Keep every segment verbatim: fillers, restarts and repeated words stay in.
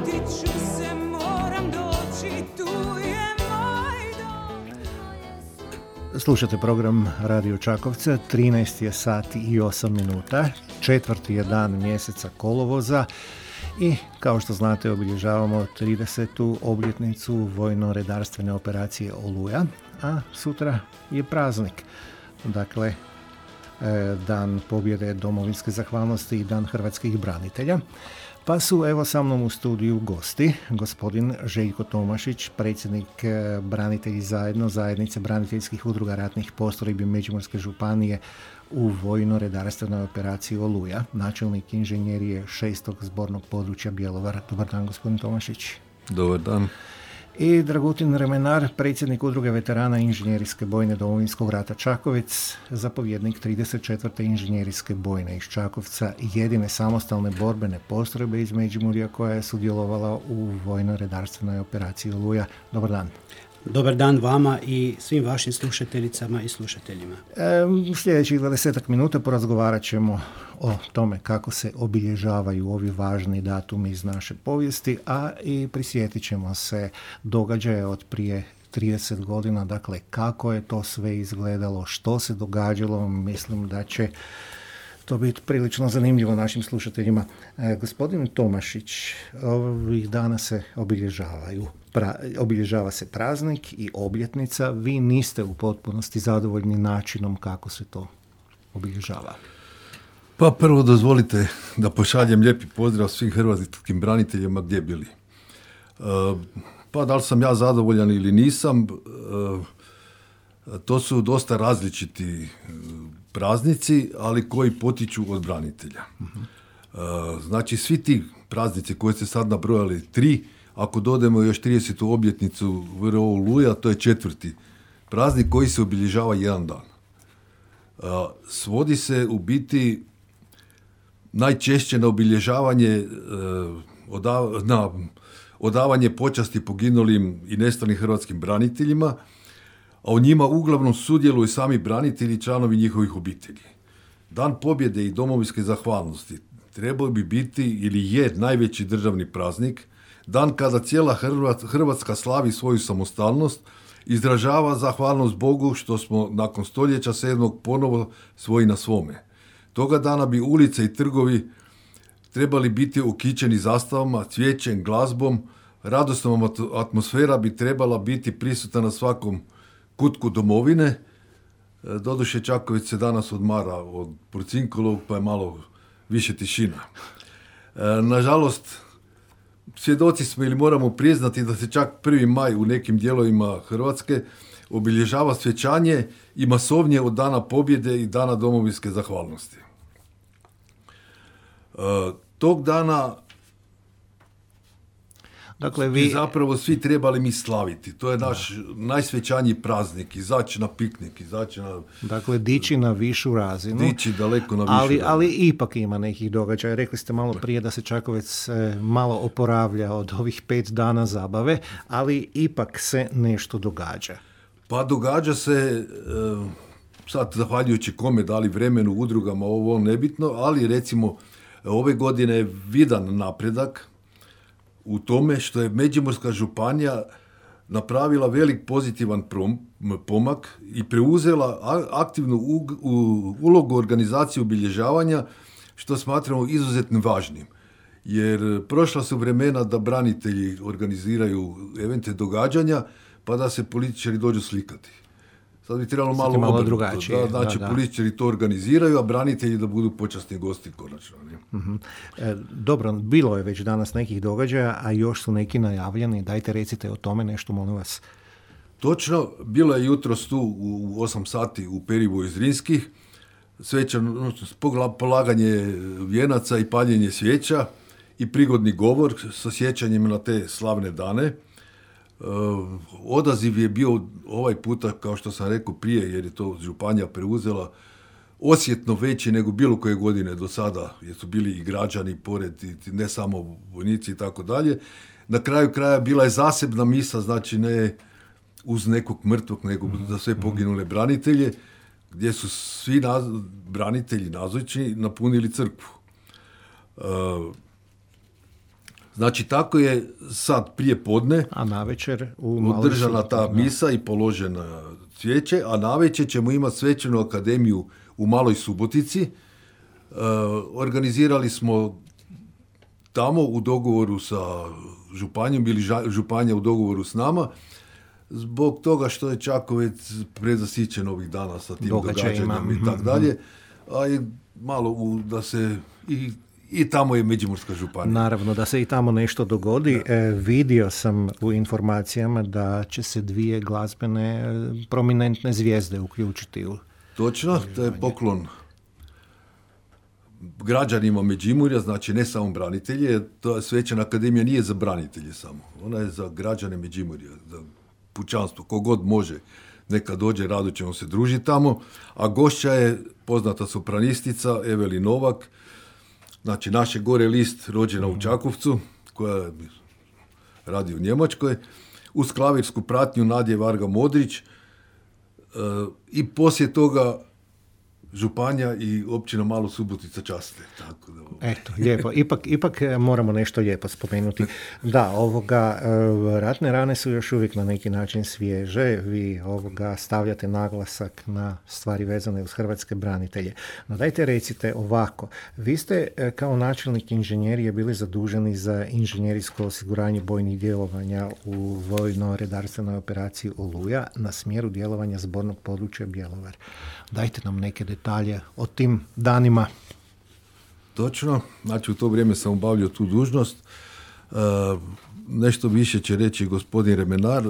ću se, moram doći, tu je moj dom. Slušate program Radio Čakovca, trinaest je sati i osam minuta, četvrti je dan mjeseca kolovoza i kao što znate obilježavamo tridesetu obljetnicu vojno-redarstvene operacije Oluja, a sutra je praznik. Dakle, dan pobjede domovinske zahvalnosti i dan hrvatskih branitelja. Pa su evo sa mnom u studiju gosti, gospodin Željko Tomašić, predsjednik Branitelji zajedno, zajednice braniteljskih udruga ratnih postrojbi Međimurske županije u vojno-redarstvenoj operaciji Oluja, načelnik inženjerije šestog zbornog područja Bjelovar. Dobar dan, gospodin Tomašić. Dobar dan. I Dragutin Remenar, predsjednik udruge veterana inženjerijske bojne Domovinskog rata Čakovec, zapovjednik trideset četvrte inženjerijske bojne iz Čakovca, jedine samostalne borbene postrojbe iz Međimurja koja je sudjelovala u vojno-redarstvenoj operaciji Oluja. Dobar dan. Dobar dan vama i svim vašim slušateljicama i slušateljima. U sljedećih dvadesetak minuta porazgovarat ćemo o tome kako se obilježavaju ovi važni datumi iz naše povijesti, a i prisjetit ćemo se događaja od prije trideset godina, dakle kako je to sve izgledalo, što se događalo. Mislim da će to biti prilično zanimljivo našim slušateljima. E, gospodin Tomašić, ovih dana se obilježavaju. Pra, obilježava se praznik i obljetnica. Vi niste u potpunosti zadovoljni načinom kako se to obilježava. Pa prvo dozvolite da pošaljem lijepi pozdrav svim hrvatskim braniteljima gdje bili. E, pa da li sam ja zadovoljan ili nisam, e, to su dosta različiti praznici, ali koji potiču od branitelja. Uh-huh. E, znači svi ti praznici koje ste sad nabrojali, tri, ako dodemo još tridesetu obljetnicu V R O Oluja, to je četvrti praznik koji se obilježava jedan dan. E, svodi se u biti najčešće na obilježavanje, e, odav, na odavanje počasti poginulim i nestalim hrvatskim braniteljima, a u njima uglavnom sudjeluju sami branitelji i članovi njihovih obitelji. Dan pobjede i domovinske zahvalnosti trebao bi biti ili je najveći državni praznik, dan kada cijela Hrvatska slavi svoju samostalnost, izražava zahvalnost Bogu što smo nakon stoljeća sedmog ponovo svoji na svome. Toga dana bi ulice i trgovi trebali biti ukićeni zastavama, cvijećem, glazbom, radosnom atmosfera bi trebala biti prisutna na svakom kutku domovine. Doduše Čakovec se danas odmara od Porcinkolovog, pa je malo više tišina. Nažalost, svjedoci smo ili moramo priznati da se čak prvi maj u nekim dijelovima Hrvatske obilježava svečanje i masovnije od dana pobjede i dana domovinske zahvalnosti. Tog dana Dakle, vi... zapravo svi trebali mi slaviti. To je naš da. najsvećaniji praznik. Izaći na piknik, izaći na... Dakle, dići na višu razinu. Dići daleko na višu ali, razinu. Ali ipak ima nekih događaja. Rekli ste malo prije da se Čakovec malo oporavlja od ovih pet dana zabave, ali ipak se nešto događa. Pa događa se, sad zahvaljujući kome, da li vremenu, udrugama, ovo nebitno, ali recimo ove godine je vidan napredak u tome što je Međimurska županija napravila velik pozitivan prom, pomak i preuzela aktivnu u, u, ulogu organizacije obilježavanja, što smatramo izuzetno važnim. Jer prošla su vremena da branitelji organiziraju evente događanja, pa da se političari dođu slikati. Sad bi trebalo malo, malo obrnuto. drugačije. Da, znači, da, da. političari to organiziraju, a branitelji da budu počasni gosti konačno. Uh-huh. E, dobro, bilo je već danas nekih događaja, a još su neki najavljeni. Dajte recite o tome nešto, molim vas. Točno, bilo je jutros tu u osam sati u Perivoju Zrinskih, svečano polaganje vijenaca i paljenje svijeća i prigodni govor sa sjećanjem na te slavne dane. Uh, odaziv je bio ovaj puta, kao što sam rekao prije, jer je to županija preuzela, osjetno veći nego bilo koje godine do sada, jer su bili i građani pored, i ne samo vojnici i tako dalje. Na kraju kraja bila je zasebna misa, znači ne uz nekog mrtvog, nego za sve poginule branitelje, gdje su svi naz, branitelji nazočni napunili crkvu. Uh, Znači, tako je sad prije podne A navečer u Maloj održana Subotici, ta da. misa i položena cvijeće, a navečer ćemo imati svečanu akademiju u Maloj Subotici. E, organizirali smo tamo u dogovoru sa županijom ili ža- županija u dogovoru s nama, zbog toga što je Čakovec prezasićen ovih dana sa tim Događajima. događanjem i tako dalje, a i malo u, da se i, i tamo je Međimurska županija. Naravno, da se i tamo nešto dogodi. E, vidio sam u informacijama da će se dvije glazbene e, prominentne zvijezde uključiti u... Točno, to je poklon građanima Međimurja, znači ne samo branitelje, to svečana akademija nije za branitelje samo, ona je za građane Međimurja, za pučanstvo, kogod može, neka dođe, rado ćemo se družiti tamo, a gošća je poznata sopranistica Eveli Novak, znači naše gore list, rođena u Čakovcu, koja radi u Njemačkoj, uz klavirsku pratnju Nadje Varga Modrić, e, i poslije toga županija i općina Malo Subotica časte. Tako da, Eto, lijepo. Ipak, ipak e, moramo nešto lijepo spomenuti. Da, ovoga, e, ratne rane su još uvijek na neki način svježe. Vi ovoga stavljate naglasak na stvari vezane uz hrvatske branitelje. No dajte recite ovako. Vi ste e, kao načelnik inženjerije bili zaduženi za inženjerijsko osiguranje bojnih djelovanja u vojno-redarstvenoj operaciji Oluja na smjeru djelovanja zbornog područja Bjelovar. Dajte nam neke detalje o tim danima. točno, znači u to vrijeme sam obavljao tu dužnost. E, nešto više će reći gospodin Remenar. E,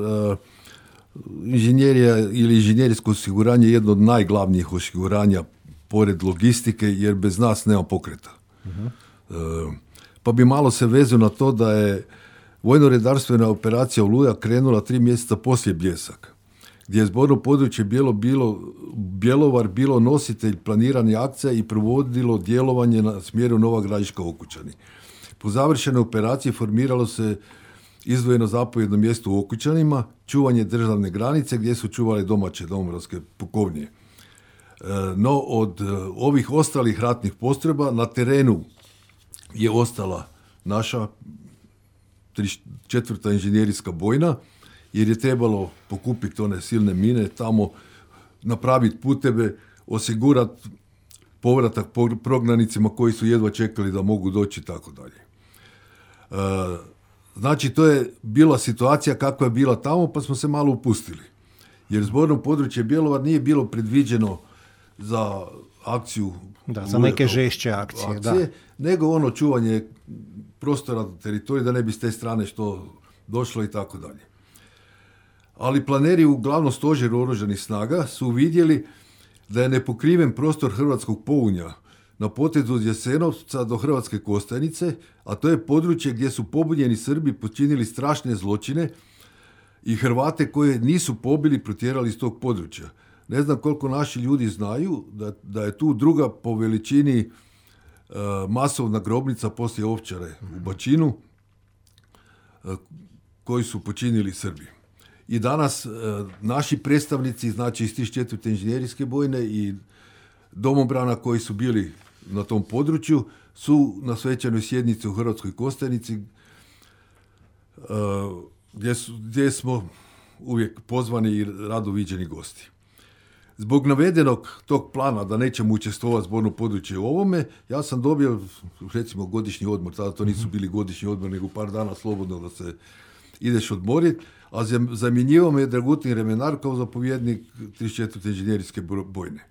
inženjerija ili inženjerijsko osiguranje je jedno od najglavnijih osiguranja pored logistike, jer bez nas nema pokreta. Uh-huh. E, pa bi malo se vezao na to da je vojno-redarstvena operacija Oluja krenula tri mjeseca poslije Bljesak, gdje je zborno područje bilo, bilo, Bjelovar bilo nositelj planiranja akcija i provodilo djelovanje na smjeru Nova Gradiška Okučani. Po završenoj operaciji formiralo se izdvojeno zapovjedno mjesto u Okučanima, čuvanje državne granice gdje su čuvali domaće domobranske pukovnije. No od ovih ostalih ratnih postrojba na terenu je ostala naša četvrta inženjerijska bojna, jer je trebalo pokupiti one silne mine, tamo napraviti puteve, osigurati povratak prognanicima koji su jedva čekali da mogu doći i tako dalje. Znači, to je bila situacija kakva je bila tamo, pa smo se malo upustili. Jer zborno područje Bjelovar nije bilo predviđeno za akciju... Da, za neke žešće akcije, akcije, da. Nego ono čuvanje prostora teritorija, da ne bi s te strane što došlo i tako dalje. Ali planeri u glavnom stožeru oružanih snaga su vidjeli da je nepokriven prostor hrvatskog Pounja na potezu od Jasenovca do Hrvatske Kostajnice, a to je područje gdje su pobunjeni Srbi počinili strašne zločine i Hrvate koje nisu pobili protjerali iz tog područja. Ne znam koliko naši ljudi znaju da, da je tu druga po veličini e, masovna grobnica poslije Ovčare u Bačinu e, koji su počinili Srbi. I danas e, naši predstavnici, znači iz trideset četvrte inženjerijske bojne i domobrana koji su bili na tom području, su na svečanoj sjednici u Hrvatskoj Kostajnici e, gdje, su, gdje smo uvijek pozvani i rado viđeni gosti. Zbog navedenog tog plana da nećemo učestvovati zborno područje u ovome, ja sam dobio, recimo, godišnji odmor. Tada to nisu bili godišnji odmor, nego par dana slobodno da se ideš odmoriti, a zamjenjivao me je Dragutin Remenar kao zapovjednik trideset četvrte inženjerijske bojne.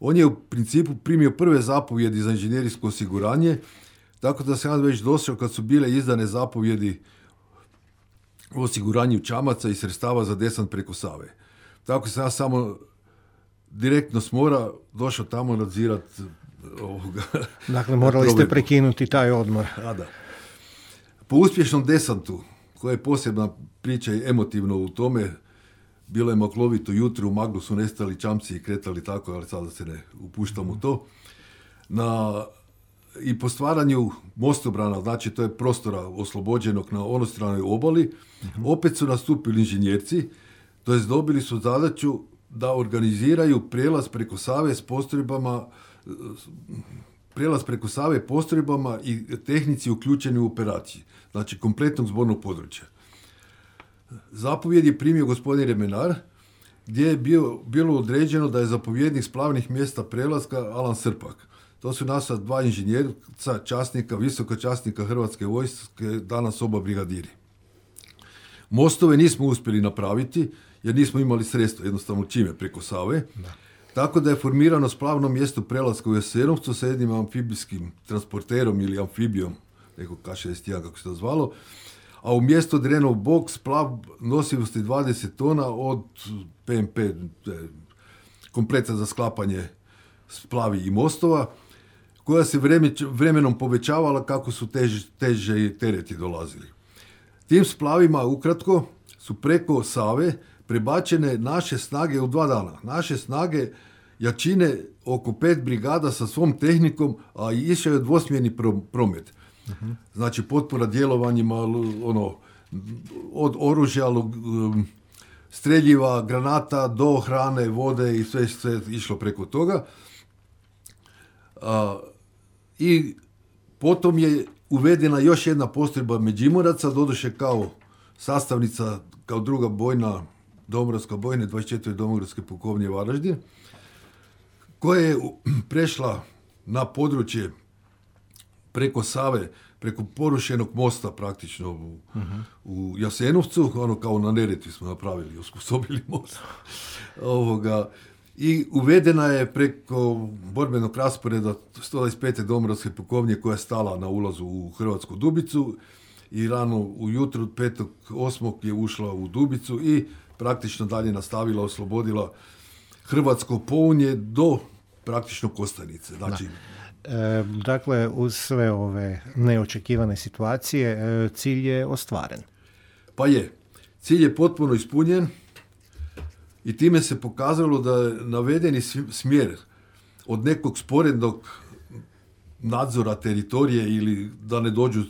On je u principu primio prve zapovjedi za inženjerijsko osiguranje, tako da sam ja već došao kad su bile izdane zapovjedi o osiguranju čamaca i sredstava za desant preko Save. Tako sam ja samo direktno s mora došao tamo nadzirati ovoga. Dakle, morali ste prekinuti taj odmor. A da. Po uspješnom desantu, koja je posebna priča i emotivno u tome, bilo je maklovito jutro, u maglu su nestali čamci i kretali tako, ali sada se ne upuštam u to. Na, i po stvaranju mostobrana, znači to je prostora oslobođenog na onostranoj obali, uh-huh. opet su nastupili inženjerci, to jest dobili su zadaću da organiziraju prijelaz preko Save s postrojbama prijelaz preko Save postrojbama i tehnici uključeni u operaciji, znači kompletnog zbornog područja. Zapovjed je primio gospodin Remenar, gdje je bio, bilo određeno da je zapovjednik splavnih mjesta prelaska Alan Srpak. To su naša dva inženjerca, časnika, visoka časnika Hrvatske vojske, danas oba brigadiri. Mostove nismo uspjeli napraviti, jer nismo imali sredstva, jednostavno čime preko Save. Da. Tako da je formirano splavno mjesto prelaska u Jasenovcu sa jednim amfibijskim transporterom ili amfibijom, neko K šezdeset jedan kako se to zvalo, a u mjesto Drenov bok splav nosivosti dvadeset tona od P M P, kompleta za sklapanje splavi i mostova, koja se vremenom povećavala kako su teže, teže tereti dolazili. Tim splavima, ukratko, su preko Save prebačene naše snage u dva dana. Naše snage jačine oko pet brigada sa svom tehnikom, a išao je dvosmjerni promet. Uh-huh. Znači potpora djelovanjima, ono, od oružja, streljiva, granata do hrane, vode i sve, sve išlo preko toga. A, I potom je uvedena još jedna postrojba Međimuraca, doduše kao sastavnica, kao druga bojna, Domobranska bojne, dvadeset četiri Domobranske pukovnije Varaždin, koja je prešla na područje preko Save, preko porušenog mosta praktično u, uh-huh. u Jasenovcu, ono kao na Neretvi smo napravili, osposobili most. Ovoga, i uvedena je preko borbenog rasporeda sto dvadeset pete Domobranske pukovnije koja je stala na ulazu u Hrvatsku Dubicu i rano ujutro petog osmog je ušla u Dubicu i praktično dalje nastavila, oslobodila Hrvatsko Pounje do praktično Kostajnice. Znači, e, dakle, uz sve ove neočekivane situacije, e, cilj je ostvaren. Pa je. Cilj je potpuno ispunjen i time se pokazalo da je navedeni smjer od nekog sporednog nadzora teritorije ili da ne dođu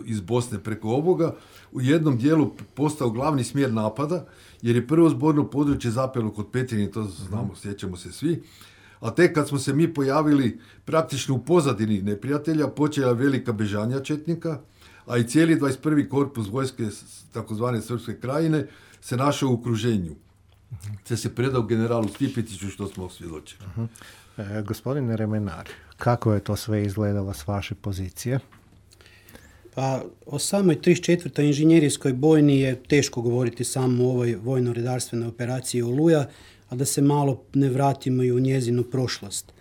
iz Bosne preko ovoga, u jednom dijelu postao glavni smjer napada, jer je prvo zborno područje zapelo kod Petrinje, to znamo, sjećamo se svi, a tek kad smo se mi pojavili praktično u pozadini neprijatelja, počela velika bežanja četnika, a i cijeli dvadeset prvi korpus vojske takozvane Srpske krajine se našao u okruženju. Te se predao generalu Stipetiću, što smo svjedočili. Uh-huh. E, gospodine Remenar, kako je to sve izgledalo s vaše pozicije? Pa o samoj trideset četvrtoj inženjerijskoj bojni je teško govoriti samo u ovoj vojno-redarstvenoj operaciji Oluja, a da se malo ne vratimo i u njezinu prošlost.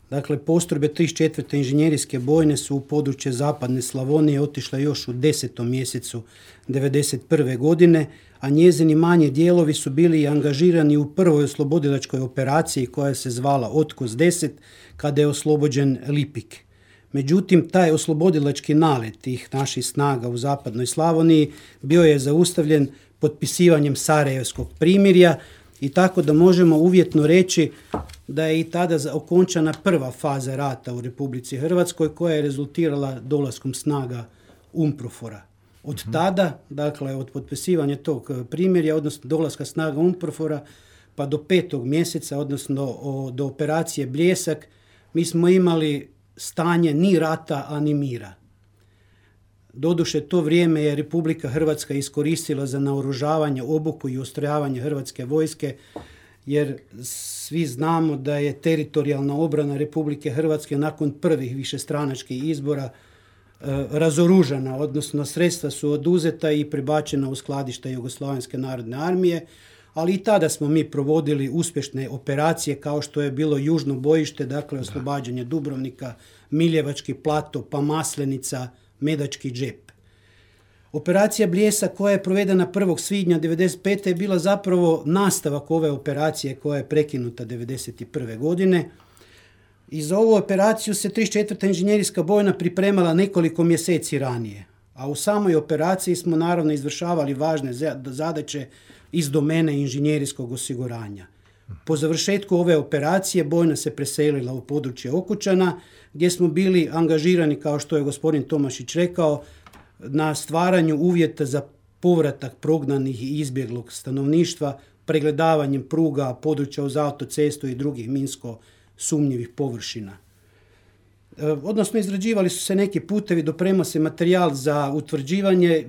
Dakle, postrojbe trideset četvrte inženjerijske bojne su u područje zapadne Slavonije otišle još u desetom mjesecu devedeset prve godine, a njezini manji dijelovi su bili angažirani u prvoj oslobodilačkoj operaciji koja se zvala Otkos deset, kada je oslobođen Lipik. Međutim, taj oslobodilački nalet tih naših snaga u zapadnoj Slavoniji bio je zaustavljen potpisivanjem Sarajevskog primirja i tako da možemo uvjetno reći da je i tada okončana prva faza rata u Republici Hrvatskoj koja je rezultirala dolaskom snaga UNPROFOR-a. Od tada, dakle od potpisivanja tog primirja, odnosno dolaska snaga UNPROFOR-a pa do petog mjeseca, odnosno o, do operacije Bljesak, mi smo imali stanje ni rata, a ni mira. Doduše, to vrijeme je Republika Hrvatska iskoristila za naoružavanje, obuku i ustrojavanje Hrvatske vojske, jer svi znamo da je teritorijalna obrana Republike Hrvatske nakon prvih višestranačkih izbora e, razoružana, odnosno sredstva su oduzeta i prebačena u skladišta Jugoslavenske narodne armije, ali i tada smo mi provodili uspješne operacije kao što je bilo južno bojište, dakle oslobađanje Dubrovnika, Miljevački plato, pa Maslenica, Medački džep. Operacija Bljesak koja je provedena prvog svibnja devedeset pete je bila zapravo nastavak ove operacije koja je prekinuta devedeset prve godine. I za ovu operaciju se trideset četvrta inženjerijska bojna pripremala nekoliko mjeseci ranije, a u samoj operaciji smo naravno izvršavali važne zadaće iz domene inženjerijskog osiguranja. Po završetku ove operacije bojna se preselila u područje Okučana, gdje smo bili angažirani, kao što je gospodin Tomašić rekao, na stvaranju uvjeta za povratak prognanih i izbjeglog stanovništva, pregledavanjem pruga, područja uz autocestu i drugih minsko sumnjivih površina. odnosno izrađivali su se neki putevi, dopremao se materijal za utvrđivanje.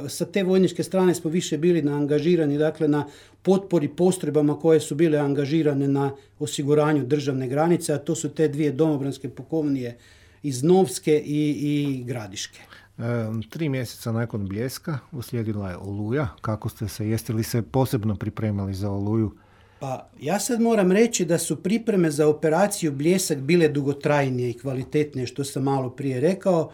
Sa te vojničke strane smo više bili na angažirani, dakle na potpori postrojbama koje su bile angažirane na osiguranju državne granice, a to su te dvije domobranske pukovnije iz Novske i, i Gradiške. E, tri mjeseca nakon Bljeska uslijedila je Oluja. Kako ste se, jeste li se posebno pripremali za Oluju? Pa ja sad moram reći da su pripreme za operaciju Bljesak bile dugotrajnije i kvalitetnije, što sam malo prije rekao.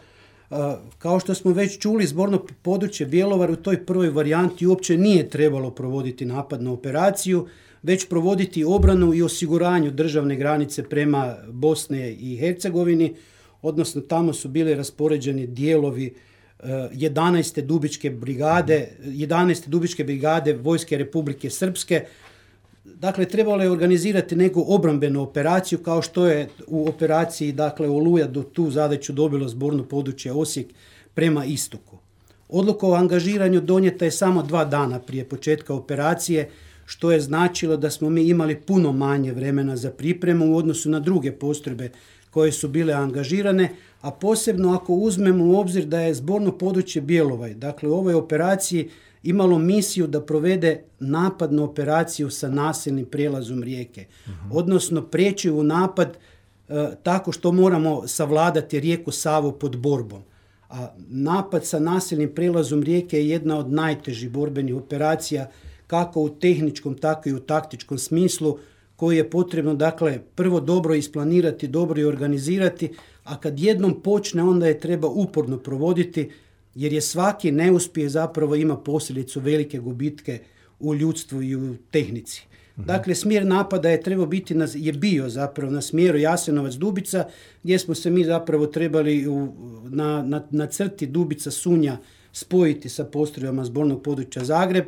Kao što smo već čuli, zborno područje Bjelovar u toj prvoj varijanti uopće nije trebalo provoditi napad na operaciju, već provoditi obranu i osiguranju državne granice prema Bosne i Hercegovini, odnosno tamo su bili raspoređeni dijelovi jedanaeste Dubičke brigade, jedanaeste Dubičke brigade Vojske Republike Srpske. Dakle, trebalo je organizirati neku obrambenu operaciju, kao što je u operaciji, dakle, Oluja do tu zadaću dobilo zborno područje Osijek prema istoku. Odluka o angažiranju donijeta je samo dva dana prije početka operacije, što je značilo da smo mi imali puno manje vremena za pripremu u odnosu na druge postrojbe koje su bile angažirane, a posebno ako uzmemo u obzir da je zborno područje Bjelovar, dakle, u ovoj operaciji imalo misiju da provede napadnu operaciju sa nasilnim prijelazom rijeke. Uh-huh. Odnosno prijeći u napad e, tako što moramo savladati rijeku Savu pod borbom. A napad sa nasilnim prijelazom rijeke je jedna od najtežih borbenih operacija, kako u tehničkom, tako i u taktičkom smislu, koji je potrebno, dakle, prvo dobro isplanirati, dobro i organizirati, a kad jednom počne, onda je treba uporno provoditi, jer je svaki neuspjeh zapravo ima posljedicu velike gubitke u ljudstvu i u tehnici. Mhm. Dakle, smjer napada je trebao biti, na, je bio zapravo na smjeru Jasenovac-Dubica, gdje smo se mi zapravo trebali u, na, na, na crti Dubica-Sunja spojiti sa postrojbama zbornog područja Zagreb.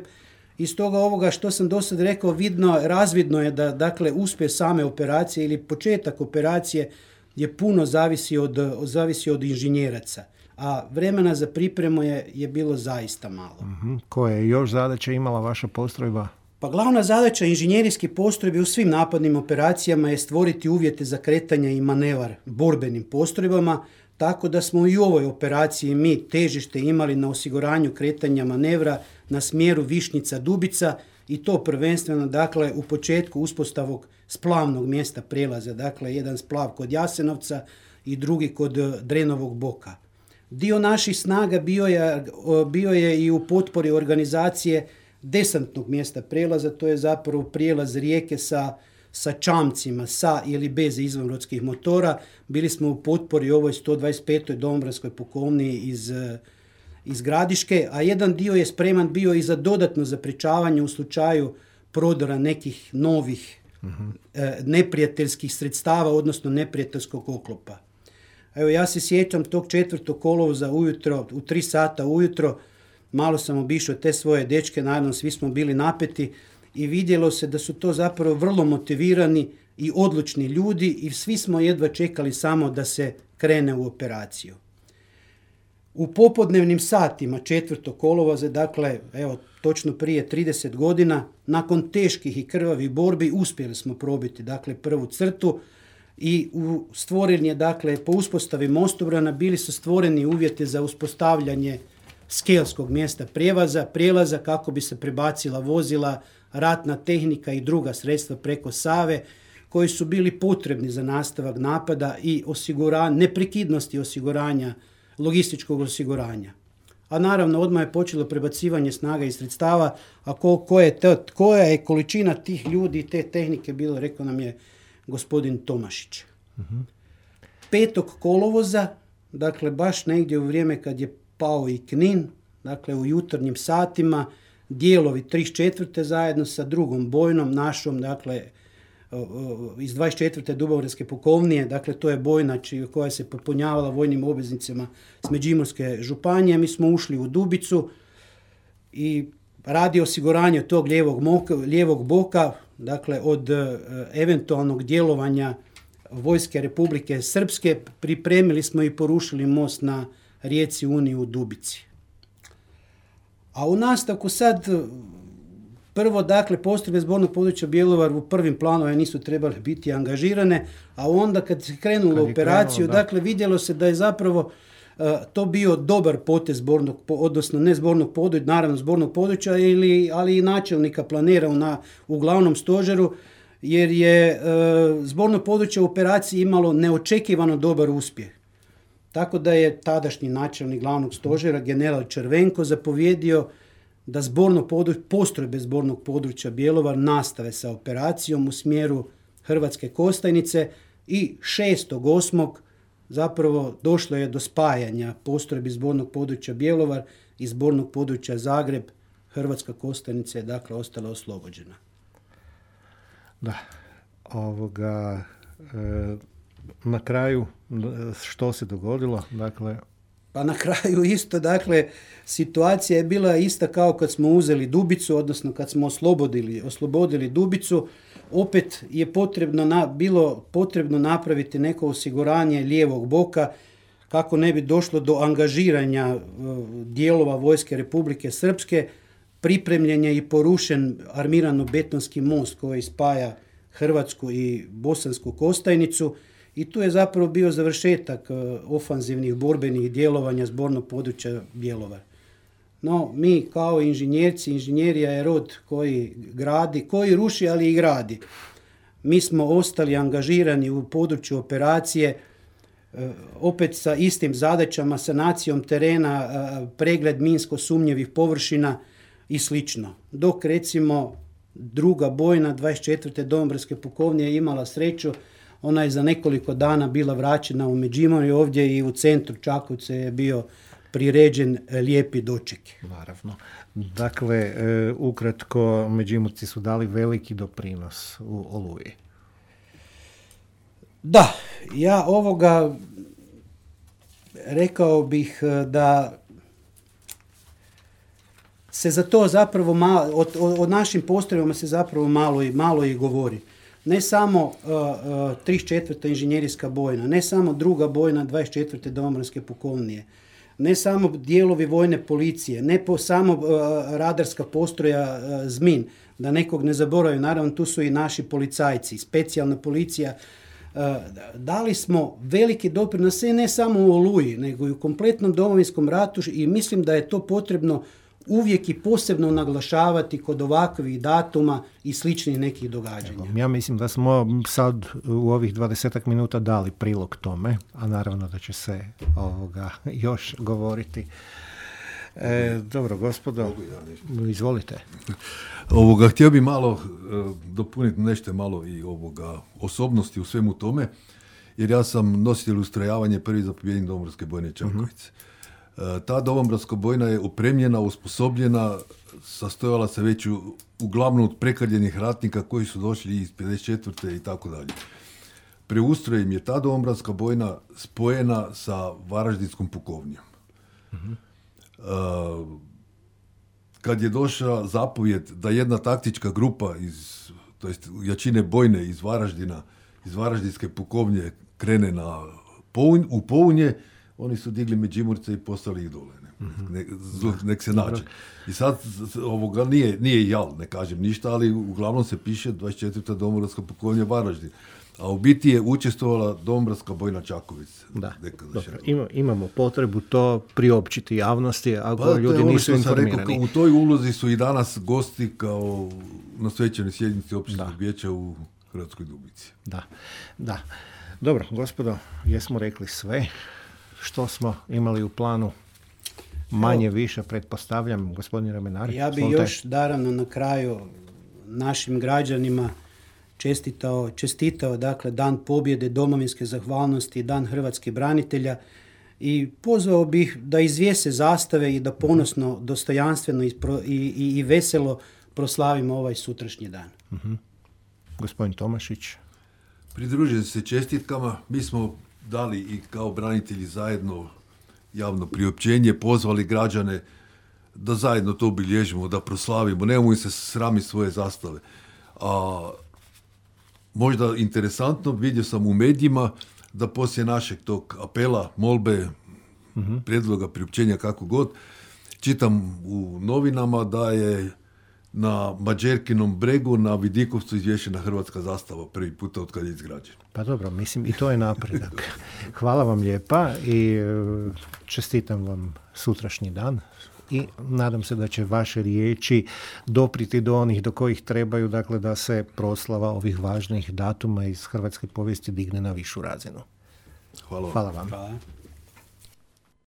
Iz toga ovoga što sam do sad rekao, vidno, razvidno je da, dakle, uspjeh same operacije ili početak operacije je puno zavisi od, zavisi od inženjeraca. A vremena za pripremu je, je bilo zaista malo. Uh-huh. Koje je još zadaća imala vaša postrojba? Pa glavna zadaća inženjerijskih postrojbi u svim napadnim operacijama je stvoriti uvjete za kretanje i manevar borbenim postrojbama, tako da smo i u ovoj operaciji mi težište imali na osiguranju kretanja manevra na smjeru Višnjica-Dubica i to prvenstveno, dakle, u početku uspostavog splavnog mjesta prelaza, dakle, jedan splav kod Jasenovca i drugi kod Drenovog boka. Dio naših snaga bio je, bio je i u potpori organizacije desantnog mjesta prelaza, to je zapravo prijelaz rijeke sa, sa čamcima, sa ili bez izvanrodskih motora. Bili smo u potpori ovoj sto dvadeset petoj domobranskoj pukovniji iz, iz Gradiške, a jedan dio je spreman bio i za dodatno zaprečavanje u slučaju prodora nekih novih uh-huh. e, neprijateljskih sredstava, odnosno neprijateljskog oklopa. Evo, ja se sjećam tog četvrtog kolovoza ujutro, u tri sata ujutro, malo sam obišao te svoje dečke, naravno svi smo bili napeti i vidjelo se da su to zapravo vrlo motivirani i odlučni ljudi i svi smo jedva čekali samo da se krene u operaciju. U popodnevnim satima četvrtog kolovoza, dakle, evo, točno prije trideset godina, nakon teških i krvavih borbi uspjeli smo probiti, dakle, prvu crtu, i u stvoren je, dakle, po uspostavi mostobrana bili su stvoreni uvjeti za uspostavljanje skelskog mjesta prijevaza, prijelaza kako bi se prebacila vozila, ratna tehnika i druga sredstva preko Save, koji su bili potrebni za nastavak napada i osiguranje, neprekidnosti osiguranja, logističkog osiguranja. A naravno, odmah je počelo prebacivanje snaga i sredstava, a ko, ko je te, koja je količina tih ljudi i te tehnike bilo, rekao nam je gospodin Tomašić. Uh-huh. Petog kolovoza, dakle baš negdje u vrijeme kad je pao i Knin, dakle u jutarnjim satima, dijelovi trideset četvrte zajedno sa drugom bojnom našom, dakle iz dvadeset četvrte Dubrovačke pukovnije, dakle to je bojna koja se popunjavala vojnim obveznicama s Međimurske županije, mi smo ušli u Dubicu i radi osiguranja tog lijevog, moka, lijevog boka, dakle od e, eventualnog djelovanja Vojske Republike Srpske, pripremili smo i porušili most na rijeci Uni u Dubici. A u nastavku sad Prvo, dakle, postrojbe zbornog područja Bjelovar u prvim planovima nisu trebale biti angažirane, a onda kad se krenulo Kad je operaciju, krenulo, da. dakle, vidjelo se da je zapravo uh, to bio dobar potez zbornog, odnosno ne zbornog područja, naravno zbornog područja, ili, ali i načelnika planera na, u glavnom stožeru, jer je uh, zborno područje u operaciji imalo neočekivano dobar uspjeh. Tako da je tadašnji načelnik glavnog stožera, general Červenko, zapovjedio da zborno područje, postrojbe zbornog područja Bjelovar nastave sa operacijom u smjeru Hrvatske Kostajnice i šestog osmog zapravo došlo je do spajanja postrojbi zbornog područja Bjelovar i zbornog područja Zagreb. Hrvatska Kostajnica je dakle ostala oslobođena. Da, ovoga, e, na kraju što se dogodilo, dakle... Pa na kraju isto, dakle, situacija je bila ista kao kad smo uzeli Dubicu, odnosno kad smo oslobodili, oslobodili Dubicu, opet je potrebno na, bilo potrebno napraviti neko osiguranje lijevog boka kako ne bi došlo do angažiranja uh, dijelova vojske Republike Srpske. Pripremljen je i porušen armirano-betonski most koji spaja Hrvatsku i Bosansku Kostajnicu. I tu je zapravo bio završetak ofanzivnih borbenih djelovanja zbornog područja Bjelovar. No, mi kao inženjerci, inženjerija je rod koji gradi, koji ruši, ali i gradi. Mi smo ostali angažirani u području operacije, opet sa istim zadaćama, sanacijom terena, pregled minsko sumnjivih površina i slično. Dok recimo druga bojna dvadeset četvrte domobranske pukovnije je imala sreću. Ona je za nekoliko dana bila vraćena u Međimurje, ovdje i u centru Čakovca je bio priređen lijepi doček. Naravno. Dakle, e, ukratko, Međimurci su dali veliki doprinos u Oluji. Da, ja ovoga rekao bih da se za to zapravo malo, o, o našim postrojbama se zapravo malo i, malo i govori. Ne samo uh, uh, trideset četvrta inženjerijska bojna, ne samo druga bojna dvadeset četvrte domobranske pukovnije, ne samo dijelovi vojne policije, ne po samo uh, radarska postroja uh, Zmin, da nekog ne zaboravim, naravno tu su i naši policajci, specijalna policija. Uh, dali smo veliki doprinos, ne samo u Oluji, nego i u kompletnom Domovinskom ratu i mislim da je to potrebno uvijek i posebno naglašavati kod ovakvih datuma i sličnih nekih događanja. Ja mislim da smo sad u ovih dvadesetak minuta dali prilog tome, a naravno da će se ovoga još govoriti. E, dobro, gospodo, izvolite. Ovoga, htio bi malo uh, dopuniti nešto malo i ovoga osobnosti u svemu tome, jer ja sam nositelj ustrojavanja prvi zapovjednik Domobranske bojne Čakovec. Uh-huh. Ta domobranska bojna je opremljena, osposobljena, sastojala se već u, uglavnom od prekaljenih ratnika koji su došli iz pedeset četvrte i tako dalje. Preustrojem je ta domobranska bojna spojena sa Varaždinskom pukovnijom. Uh-huh. Uh, kad je došla zapovjed da jedna taktička grupa iz, to jest jačine bojne iz Varaždina, iz Varaždinske pukovnje krene na Pounj, u Pounje, oni su digli Međimurce i poslali ih dole. Ne? Mm-hmm. Nek, nek se nađe. I sad ovoga nije, nije jal, ne kažem ništa, ali uglavnom se piše dvadeset četvrta domobranska pukovnja Varaždin. A u biti je učestvovala domobranska bojna Čakovec. Da, dobro, ima, imamo potrebu to priopćiti javnosti, ako pa, ljudi ono nisu informirani. Rekao, u toj ulozi su i danas gosti kao na svečanoj sjednici općinskog vijeća u Hrvatskoj Dubici. Da, da. Dobro, gospodo, jesmo rekli sve što smo imali u planu, manje više, pretpostavljam, gospodin Ramenar. Ja bih još, naravno, na kraju našim građanima čestitao, čestitao dakle, Dan pobjede, domovinske zahvalnosti, Dan hrvatskih branitelja i pozvao bih da izvjese zastave i da ponosno, dostojanstveno i, i, i veselo proslavimo ovaj sutrašnji dan. Uh-huh. Gospodin Tomašić. Pridružujem se čestitkama. Mi smo dali i kao branitelji zajedno javno priopćenje, pozvali građane da zajedno to obilježimo, da proslavimo. Nemojmo se sramiti svoje zastave. A možda interesantno, vidio sam u medijima da poslije našeg tog apela, molbe, uh-huh. prijedloga, priopćenja, kako god, čitam u novinama da je na Mađerkinom bregu na Vidikovcu izvješena hrvatska zastava prvi puta od kad je izgrađen. Pa dobro, mislim i to je napredak. Hvala vam lijepa i čestitam vam sutrašnji dan i nadam se da će vaše riječi dopriti do onih do kojih trebaju, dakle da se proslava ovih važnih datuma iz hrvatske povijesti digne na višu razinu. Hvala vam. Hvala vam. Hvala.